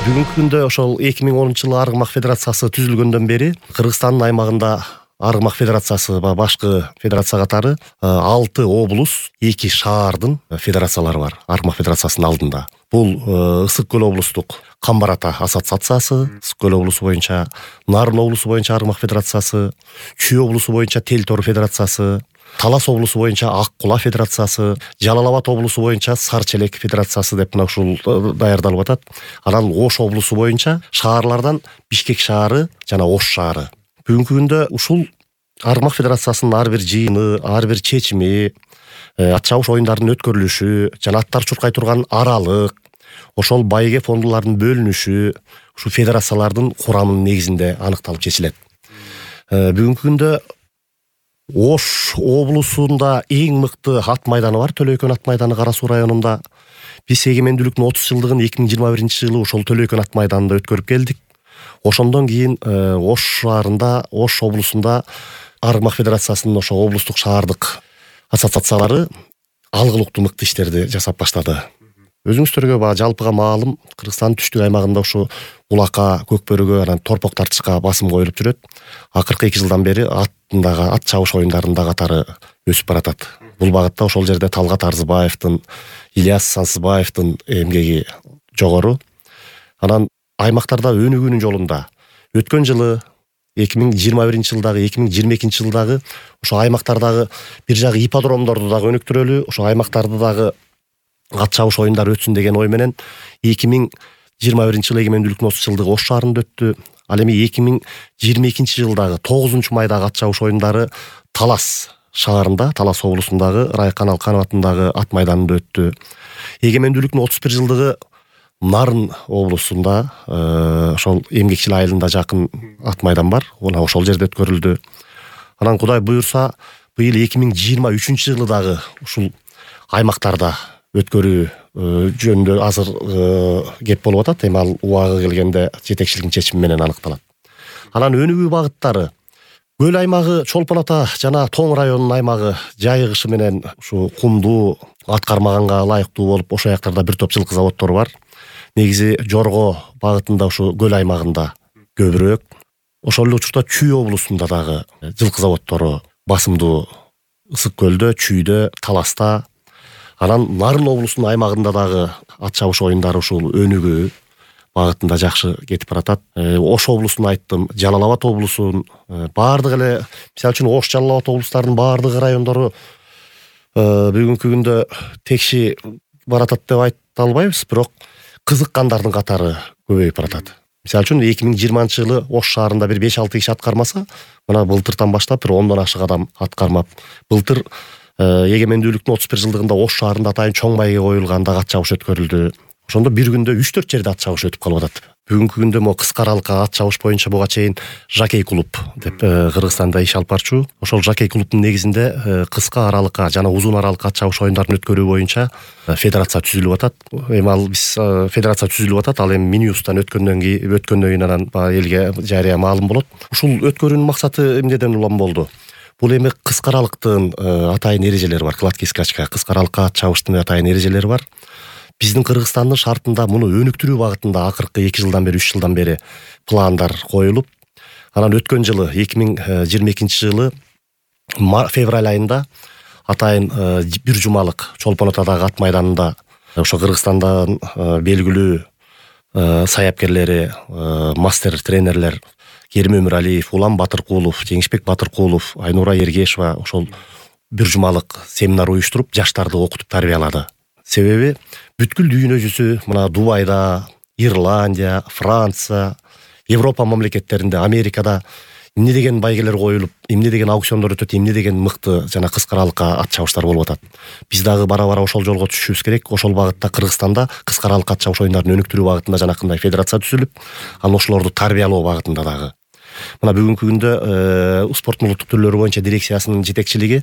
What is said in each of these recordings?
Бүгүнкү күндө ошол 2010-жылы Аргымак федерациясы түзүлгөндөн бери Кыргызстандын аймагында Аргымак федерациясы башкы федерация катары 6 облус, 2 шаардын федерациялары бар Аргымак федерациясынын алдында. Бул Ысык көл облустук Камбар ата ассоциациясы, Ысык көл облусу боюнча, Нарын облусу боюнча Аргымак федерациясы, Чүй облусу боюнча Тел Тор федерациясы, Талас облусу боюнча Ак Кула федерациясы, Жалал Абад облусу боюнча Сар Челек федерациясы деп мына ушул даярдалып атат. Анан Ош облусу боюнча шаарлардан Бишкек шаары жана Ош шаары. Бүгүнкү күндө ушул Аргымак федерациясынын ар бир жыйыны, ар бир чечими, ат чабыш оюндарынын өткөрүлүшү жана аттар чуркай турган аралык, ошол байге фондулардын бөлүнүшү ушу федерациялардын курамынын негизинде аныкталып чечилет. Бүгүнкү күндө Ош облусунда эң мыкты ат майданы бар, Төлөйкөн ат майданы Кара Суу районунда. Биз эгемендүүлүктүн 30 жылдыгын 2021-жылы ошол Төлөйкөн ат майданында өткөрүп келдик. Ошондон кийин Ош шаарында, Ош облусунда Аргымак федерациясынын ошо облустук шаардык ассоциациялары алгылыктуу мыкты иштерди жасап баштады. Өзүңүздөргө жалпыга маалым, Кыргызстандын түштүк аймагында ушу улакка, көкбөрүгө, анан торпок тартышка басым коюлуп жүрөт. Акыркы 2 жылдан бери ат чабыш оюндарында катары өсүп баратат. Бул багытта ошол жерде Талгат Арзыбаевдин, Ильяс Сансызбаевдин эмгеги жогору. Анан аймактарда өнүгүүнүн жолунда өткөн жылы 2021-жылдагы, 2022-жылдагы ошо аймактардагы бир жагы ипподромдорду дагы өнүктүрөлү, ошо аймактарды дагы ат чабыш оюндары өтсүн деген ой менен 2021-жылы эгемендүүлүктүн 30 жылдыгы Ош шаарында өттү. Ал эми 2022-жылдагы 9-майдагы ат чабыш оюндары Талас шаарында, Талас облусундагы Райкан Алканов атындагы ат майданында өттү. Эгемендүүлүктүн 31 жылдыгы Нарын облусунда, ошол Эмгекчил айылында жакын ат майдан бар, ошол жерде өткөрүлдү. Анан Кудай буюрса, быйыл 2023-жылы дагы ушул аймактарда өткөрүү жөнүндө азыр кеп болуп атат. Эми ал убагы келгенде жетекчиликтин чечими менен аныкталат. Анан өнүгүү багыттары Көл аймагы, Чолпон ата жана Тоң районунун аймагы жайыгышы менен ушу кумдуу, ат кармаганга ылайыктуу болуп, ошол жактарда бир топ жылкы заводдору бар. Негизи Жорго багытында ушу Көл аймагында көбүрөөк. Ошол эле учурда Чүй облусунда дагы жылкы заводдору басымдуу. Ысык көлдө, Чүйдө, Таласта. Анан Нарын облусунун аймагында дагы ат чабыш оюндары ушул өнүгүү багытында жакшы кетип баратат. Ош облусун айттым, Жалал Абад облусунун баардык эле, мисалы үчүн Ош, Жалал Абад облустарынын баардык райондору бүгүнкү күндө текши баратат деп айта албайбыз, бирок кызыккандардын катары көбөйүп баратат. Мисалы үчүн 2020-жылы Ош шаарында бир 5-6 киши ат кармаса, мына былтыртан баштап бир 10дон ашык адам ат кармап, былтыр эгемендүүлүктүн 31 жылдыгында Ош шаарында атайын чоң байге коюлганда ат чабыш өткөрүлдү. Ошондо бир күндө 3-4 жерде ат чабыш өтүп калып атат. Бүгүнкү күндө кыска аралыкка ат чабыш боюнча буга чейин Жакей клуб деп Кыргызстанда иш алып барчу. Ошол Жакей клубдун негизинде кыска аралыкка жана узун аралыкка ат чабыш оюндарын өткөрүү боюнча федерация түзүлүп атат. Эми ал биз федерация түзүлүп атат, ал эми Минюстан өткөндөн кийин анан элге жарыя маалым болот. Ушул өткөрүүнүн максаты эмнеден улам болду? Бул эми кыска аралыктын атайын эрежелери бар, кладки скачка, кыска аралыкка ат чабыштын атайын эрежелери бар. Биздин Кыргызстандын шартында муну өнүктүрүү багытында акыркы 2 жылдан бери, 3 жылдан бери пландар коюлуп, анан өткөн жылы 2022-жылы февраль айында атайын бир жумалык Чолпон атадагы ат майданында ошо Кыргызстандан белгилүү саяпкерлери, мастер тренерлер Керим Өмүралиев, Улам Батыркулов, Жеңишбек Батыркулов, Айнура Ергешева ошол бир жумалык семинар уюштуруп, жаштарды окутуп тарбиялады. Себеби бүткүл дүйнө жүзү мына Дубайда, Ирландия, Франция, Европа мамлекеттеринде, Америкада эмне деген байгелер коюлуп, эмне деген аукциондор өтөт, эмне деген мыкты жана кыска аралыкка ат чабыштар болуп атат. Биз дагы бара-бара ошол жолго түшүшүбүз керек. Ошол багытта Кыргызстанда кыска аралыкка ат чабыш оюндарын өнүктүрүү багытында жанакындай федерация түзүлүп, анан ошолорду тарбиялоо багытында дагы. Мына бүгүнкү күндө спорттун улуттук түрлөрү боюнча дирекциясынын жетекчилиги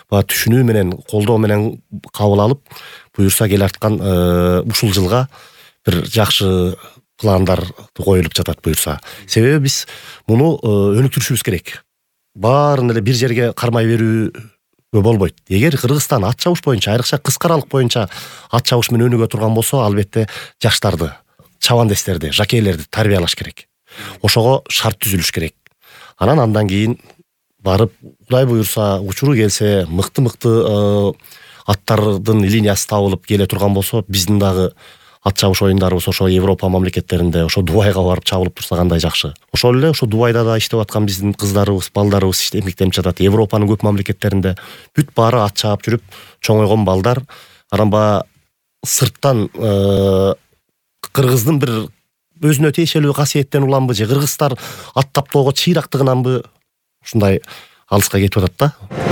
түшүнүү менен, колдоо менен кабыл алып, буюрса келаткан ушул жылга бир жакшы пландар коюлуп жатат буюрса. Себеби биз муну өнүктүрүшүбүз керек. Баарын эле бир жерге кармай берүүгө болбойт. Эгер Кыргызстан ат чабыш боюнча, айрыкча кыска аралык боюнча ат чабыш менен өнүгө турган болсо, албетте жаштарды чабандестерди, жакейлерди тарбиялаш керек. Ошого шарт түзүлүш керек. Андан кийин барып, Кудай буюрса, учуру келсе, мыкты аттардын линиясы табылып келе турган болсо, биздин дагы ат чабыш оюндарыбыз ошо Европа мамлекеттеринде, ошо Дубайга барып чабылып турса кандай жакшы. Ошол эле ошо Дубайда да иштеп аткан биздин кыздарыбыз, балдарыбыз эмгектенип жатат. Европанын көп мамлекеттеринде бүт баары ат чаап жүрүп чоңойгон балдар. Анан баягы сырттан кыргыздын бир өзүнө тиешелүү касиеттен уламбы же кыргыздар ат таптоого чыйрактыгынанбы ушундай алыска кетип атат да.